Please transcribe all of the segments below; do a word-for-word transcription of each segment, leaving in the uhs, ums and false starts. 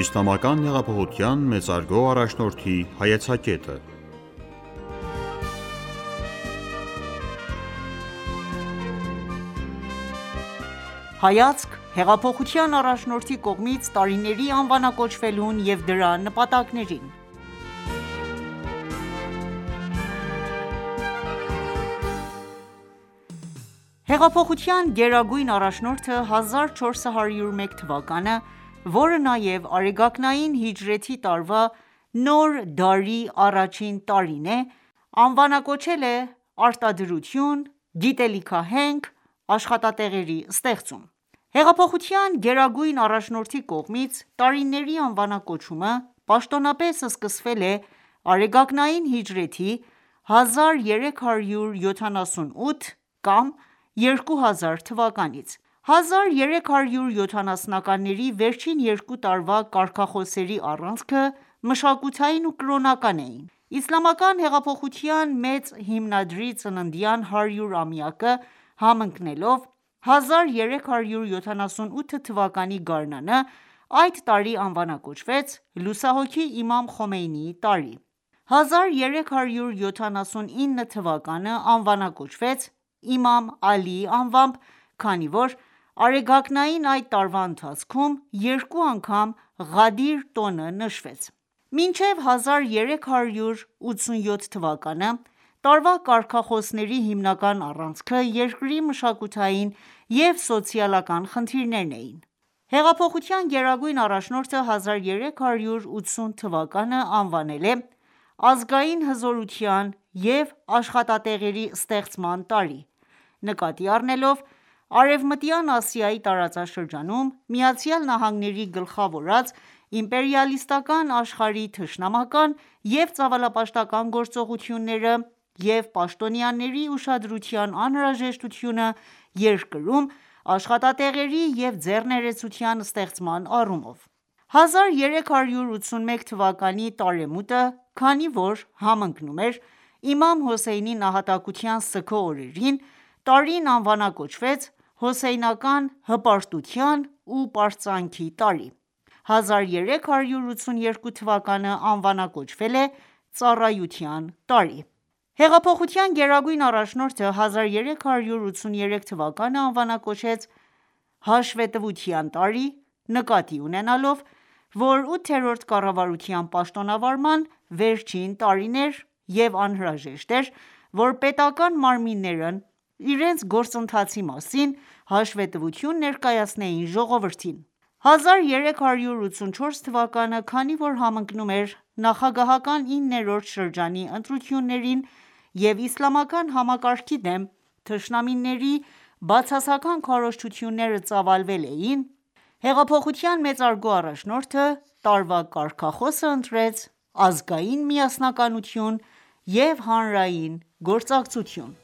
Իսլամական հեղափոխության մեծարգո առաջնորդի հայեցակետը։ Հայացք հեղափոխության առաջնորդի կողմից տարիների անվանակոչվելուն և դրա նպատակներին։ Հեղափոխության գերագույն առաջնորդը հազար չորս հարյուր մեկ թվականը, որը նաև արեգակնային հիջրեթի տարվա նոր դարի առաջին տարին է, անվանակոչել է «Արտադրություն, գիտելիքահենք, աշխատատեղերի ստեղծում»: Հեղափոխության գերագույն առաջնորդի կողմից տարիների անվանակոչումը պաշտոնապես սկսվել է արեգակնային հիջրեթի հազար երեք հարյուր յոթանասունութ կամ երկու հազար թվականից: հազար երեք հարյուր յոթանասունականների վերջին երկու տարվա կարգախոսների առանցքը մշակութային ու կրոնական էին: Իսլամական հեղափոխության մեծ հիմնադրի ծննդյան հարյուրամյակը համընկնելով հազար երեք հարյուր յոթանասունութ թվականի գարնանը, այդ տարի անվանակոչվեց լուսահոգի Իմամ Խոմեյնիի տարի: հազար երեք հարյուր յոթանասունինը թվականը անվանակոչվեց Իմամ Ալիի անվամբ, քանի որ արեգակնային այդ տարվա ընթացքում երկու անգամ Ղադիր տոնը նշվեց: Մինչև հազար երեք հարյուր ութսունյոթ թվականը, տարվա կարգախոսների հիմնական առանցքը երկրի մշակութային և սոցիալական խնդիրներն էին: Հեղափոխության գերագույն առաջնորդը հազար երեք հարյուր ութսուն թվականը անվանել է «Ազգային հզորության և աշխատատեղերի ստեղծման տարի», նկատի առնելով Արևմտյան Ասիայի տարածաշրջանում ԱՄՆ-ի գլխավորած իմպերիալիստական աշխարհի թշնամական և ծավալապաշտական գործողությունները և պաշտոնյաների ուշադրության անհրաժեշտությունը երկրում աշխատատեղերի և ձեռներեցության ստեղծման առումով: հազար երեք հարյուր ութսունմեկ թվականի տարեմուտը, քանի որ համընկնում էր Իմամ Հոսեյնի նահատակության սգո օրերին, տարին անվանակոչվեց Հոսեյնական հպարտության ու պարծանքի տարի: հազար երեք հարյուր ութսուներկու թվականը անվանակոչվել է ծառայության տարի: Հեղափոխության գերագույն առաջնորդը հազար երեք հարյուր ութսուներեք թվականը անվանակոչեց հաշվետվության տարի, նկատի ունենալով, որ ութերորդ կառավարության պաշտոնավարման վերջին տարին էր և անհրաժեշտ էր, որ պետական մարմիններն իրենց գործընթացի մասին հաշվետվություն ներկայացնեին ժողովրդին: հազար երեք հարյուր ութսունչորս թվականը, քանի որ համընկնում էր նախագահական իններորդ շրջանի ընտրություններին և իսլամական համակարգի դեմ թշնամիների բացասական քարոզչությունները ծավալվել էին, հեղափոխության մեծարգո առաջնորդը տարվա կարգախոսը ընտրեց «Ազգային միասնականություն և հանրային գործակցություն»: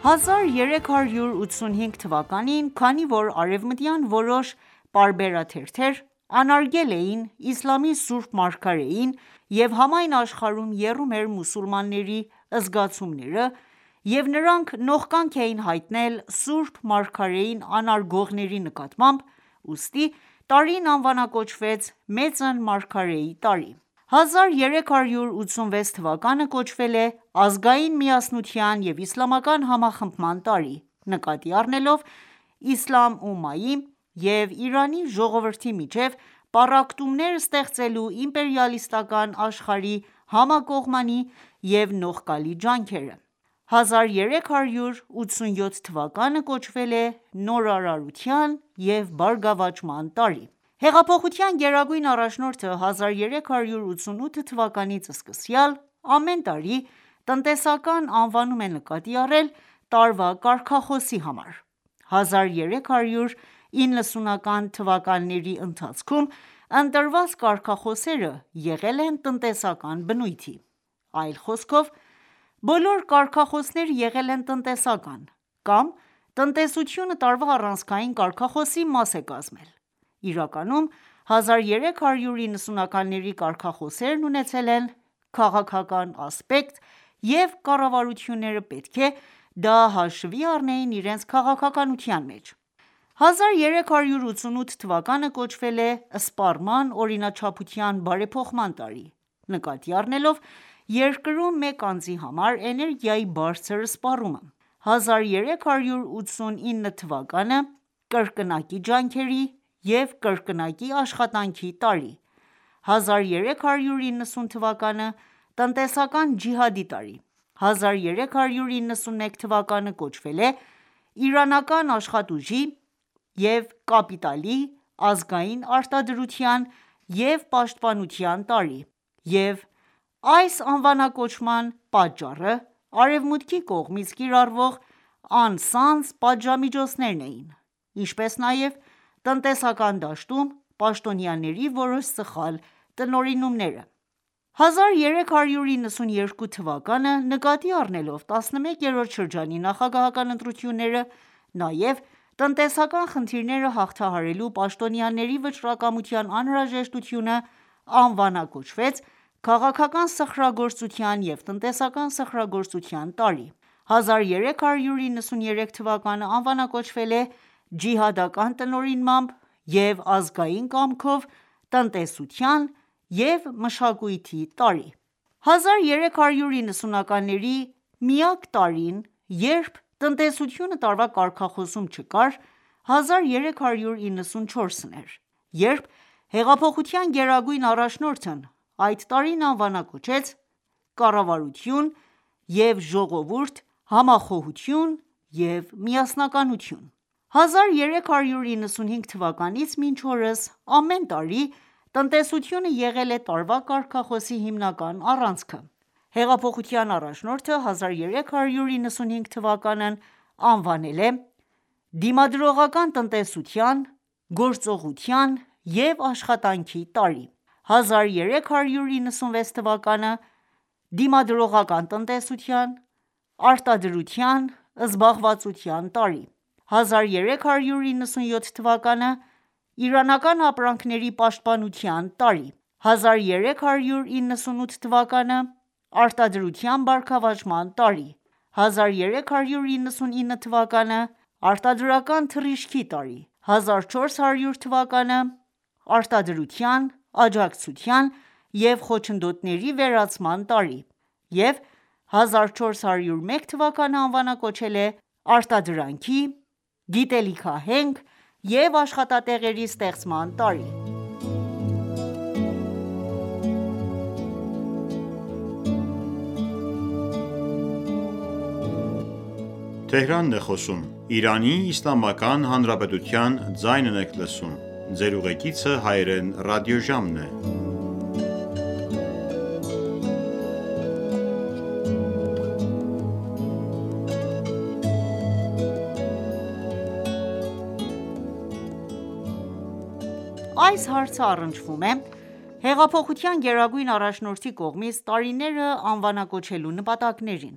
հազար երեք հարյուր ութսունհինգ թվականին, քանի որ արևմտյան որոշ պարբերաթերթեր անարգել էին իսլամի սուրբ մարգարեին և համայն աշխարհում եռում էր մուսուլմանների զգացումները և նրանք նողկանք էին հայտնել սուրբ մարգարեին անարգողների նկատմամբ, ուստի տարին անվանակոչվեց Մեծն մարգարեի տարի: հազար երեք հարյուր ութսունվեց թվականը կոչվել է «Ազգային միասնության և իսլամական համախմբման տարի», նկատի առնելով Իսլամ ումմայի և Իրանի ժողովրդի միջև պառակտումներ ստեղծելու իմպերիալիստական աշխարհի համակողմանի և նողկալի ջանքերը: հազար երեք հարյուր ութսունյոթ թվականը կոչվել է «Նորարարության և բարգավաճման տարի»: Հեղափոխության գերագույն առաջնորդը հազար երեք հարյուր ութսունութ թվականից սկսյալ ամեն տարի տնտեսական անվանում է նկատի առել տարվա կարգախոսի համար: հազար երեք հարյուր իննսունական թվականների ընթացքում ընտրված կարգախոսները եղել են տնտեսական բնույթի: Այլ խոսքով, բոլոր կարգախոսները եղել են տնտեսական կամ տնտեսությունը տարվա առանցքային կարգախոսի մաս է կազմել: Իրականում հազար երեք հարյուր նվթականների կարգախոսներն ունեցել են քաղաքական ասպեկտ և կառավարությունները պետք է դա հաշվի առնեին իրենց քաղաքականության մեջ: հազար երեք հարյուր ութսունութ թվականը կոչվել է սպառման օրինաչափության բարեփոխման տարի, նկատի առնելով երկրում մեկ անձի համար էներգիայի բարձր սպառումը: հազար երեք հարյուր ութսունինը թվականը կրկնակի ջանքերի և կրկնակի աշխատանքի տարի, հազար երեք հարյուր իննսուն թվականը տնտեսական ջիհադի տարի, հազար երեք հարյուր իննսուներեք թվականը կոչվել է իրանական աշխատուժի և կապիտալի ազգային արտադրության և պաշտպանության տարի և այս անվանակոչման պատճառը արևմուտքի կողմից կիրառվող անցանց պատժամիջոցներն էին, ինչպես նաև տնտեսական դաշտում պաշտոնյաների որոշ սխալ տնօրինումները: հազար երեք հարյուր իննսուներկու թվականը նկատի առնելով տասնմեկերորդ շրջանի նախագահական ընտրությունները, նաև տնտեսական խնդիրները հաղթահարելու պաշտոնյաների վճռակամության անհրաժեշտությունը անվանակոչվեց «Քաղաքական սխրագործության և տնտեսական սխրագործության տարի»: հազար երեք հարյուր իննսուներեք թվականը անվանակոչվել է ջիհադական տնօրինմամբ և ազգային կամքով տնտեսության և մշակույթի տարի: հազար երեք հարյուր իննսունականների միակ տարին, երբ տնտեսությունը տարվա կարգախոսում չկար, հազար երեք հարյուր իննսունչորսն էր, երբ հեղափոխության գերագույն առաջնորդն այդ տարին անվանակոչեց «Կառավարություն և ժողովուրդ, համախոհություն և միասնականություն»: հազար երեք հարյուր իննսունհինգ թվականից մինչ օրս ամեն տարի տնտեսությունը եղել է տարվա կարգախոսի հիմնական առանցքը: Հեղափոխության առաջնորդը հազար երեք հարյուր իննսունհինգ թվականն անվանել է «Դիմադրողական տնտեսության, գործողության և աշխատանքի տարի», հազար երեք հարյուր իննսունվեց թվականը «Դիմադրողական տնտեսության, արտադրության, զբաղվածության տարի», հազար երեք հարյուր իննսունյոթ թվականը «Իրանական ապրանքների պաշտպանության տարի», հազար երեք հարյուր իննսունութ թվականը «Արտադրության բարգավաճման տարի», հազար երեք հարյուր իննսունինը թվականը «Արտադրական թռիչքի տարի», հազար չորս հարյուր թվականը «Արտադրության, աջակցության և խոչընդոտների վերացման տարի» և հազար չորս հարյուր մեկ թվականը անվանակոչել է «Արտադրանքի, գիտելիքահենք և աշխատատեղերի ստեղծման տարի»: Այս հարցը առնչվում է հեղափոխության գերագույն առաջնորդի կողմից տարիները անվանակոչելու նպատակներին: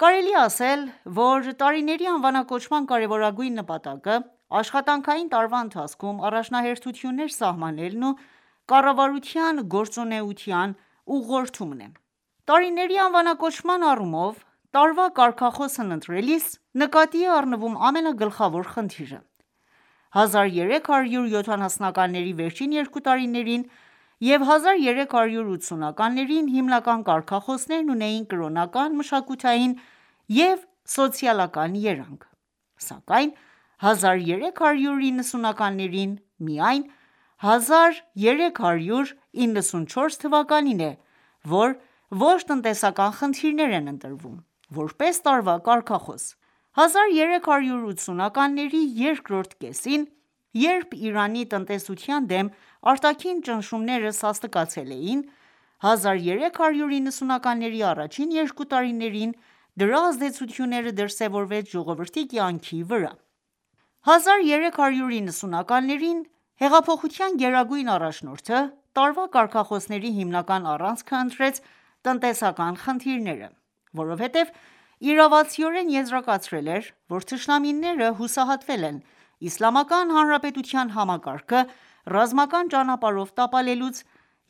Կարելի է ասել, որ տարիների անվանակոչման կարևորագույն նպատակը աշխատանքային տարվա ընթացքում առաջնահերթություններ սահմանելն ու կառավարության գործունեության ուղղորդումն է: Տարիների անվանակոչման առումով տարվա կարգախոսն ընտրելիս նկատի է առնվում ամենագլխավոր խնդիրը: հազար երեք հարյուր յոթանասունականների վերջին երկու տարիներին և հազար երեք հարյուր ութսունականներին հիմնական կարգախոսներն ունեին կրոնական, մշակութային և սոցիալական երանգ: Սակայն հազար երեք հարյուր իննսունականներին միայն հազար երեք հարյուր իննսունչորս թվականին է, որ ոչ տնտեսական խնդիրներ են ընտրվում, որպես տարվա կարգախոս: հազար երեք հարյուր ութսունականների երկրորդ կեսին, երբ Իրանի տնտեսության դեմ արտաքին ճնշումները սաստկացել էին, հազար երեք հարյուր իննսունականների առաջին երկու տարիներին դրա ազդեցությունները դրսևորվեց ժողովրդի կյանքի վրա: հազար երեք հարյուր իննսունականներին հեղափոխության գերագույն առաջնորդը տարվա կարգախոսների հիմնական առանցքը ընտրեց տնտեսական խնդիրները, որովհետև իրավացիորեն եզրակացրել էր, որ թշնամիները հուսահատվել են Իսլամական Հանրապետության համակարգը ռազմական ճանապարհով տապալելուց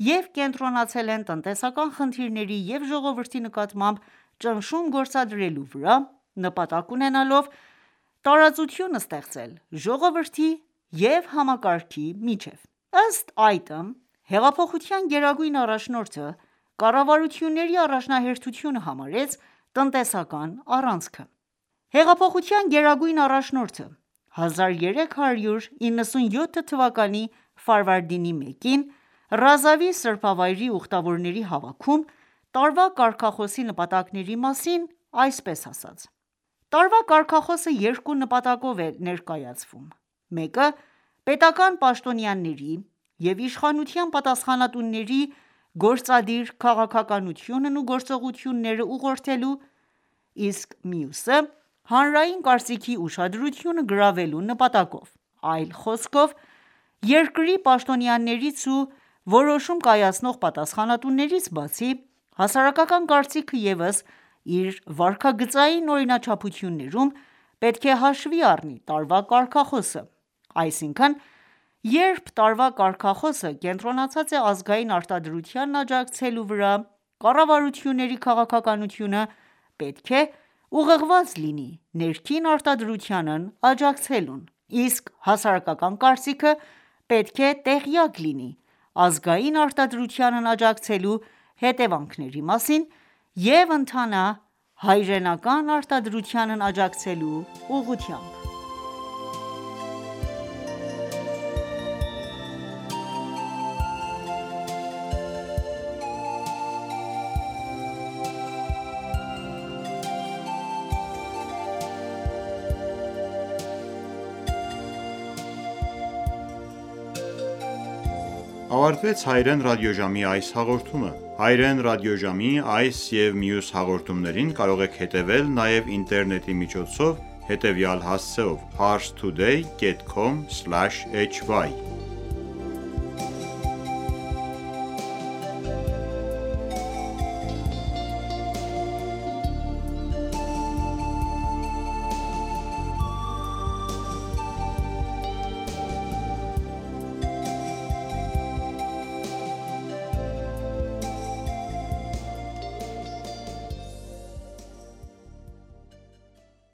և կենտրոնացել են տնտեսական խնդիրների և ժողովրդի նկատմամբ ճնշում գործադրելու վրա, նպատակ ունենալով տարածություն ստեղծել ժողովրդի և համակարգի միջև: Ըստ այդմ, հեղափոխության գերագույն առաջնորդը կառավարությունների առաջնահերթությունը համարեց տնտեսական առանցքը: Հեղափոխության գերագույն առաջնորդը հազար երեք հարյուր իննսունյոթ թվականի ֆարվարդինի մեկին Ռազավի սրբավայրի ուխտավորների հավաքում տարվա կարգախոսի նպատակների մասին այսպես ասաց.«Տարվա կարգախոսը երկու նպատակով է ներկայացվում: Մեկը պետական պաշտոնյաների և իշխանության պատասխանատուների գործադիր քաղաքականությունն ու գործողությունները ուղղորդելու, իսկ մյուսը հանրային կարծիքի ուշադրությունը գրավելու նպատակով: Այլ խոսքով, երկրի պաշտոնյաներից ու որոշում կայացնող պատասխանատուներից բացի, հասարակական կարծիքը ևս իր վարքագծային օրինաչափություններում պետք է հաշվի առնի տարվա կարգախոսը: Այսինքն, երբ տարվա կարգախոսը կենտրոնացած է ազգային արտադրությանն աջակցելու վրա, կառավարությունների քաղաքականությունը պետք է ուղղված լինի ներքին արտադրությանն աջակցելուն, իսկ հասարակական կարծիքը պետք է տեղյակ լինի ազգային արտադրությանն աջակցելու հետևանքների մասին և ընթանա հայրենական արտադրությանն աջակցելու ուղղությամբ»: Ավարտվեց Հայրեն ռադիոժամի այս հաղորդումը: Հայրեն ռադիոժամի այս և մյուս հաղորդումներին կարող եք հետևել նաև ինտերնետի միջոցով հետևյալ հասցեով՝ parstoday.com/hy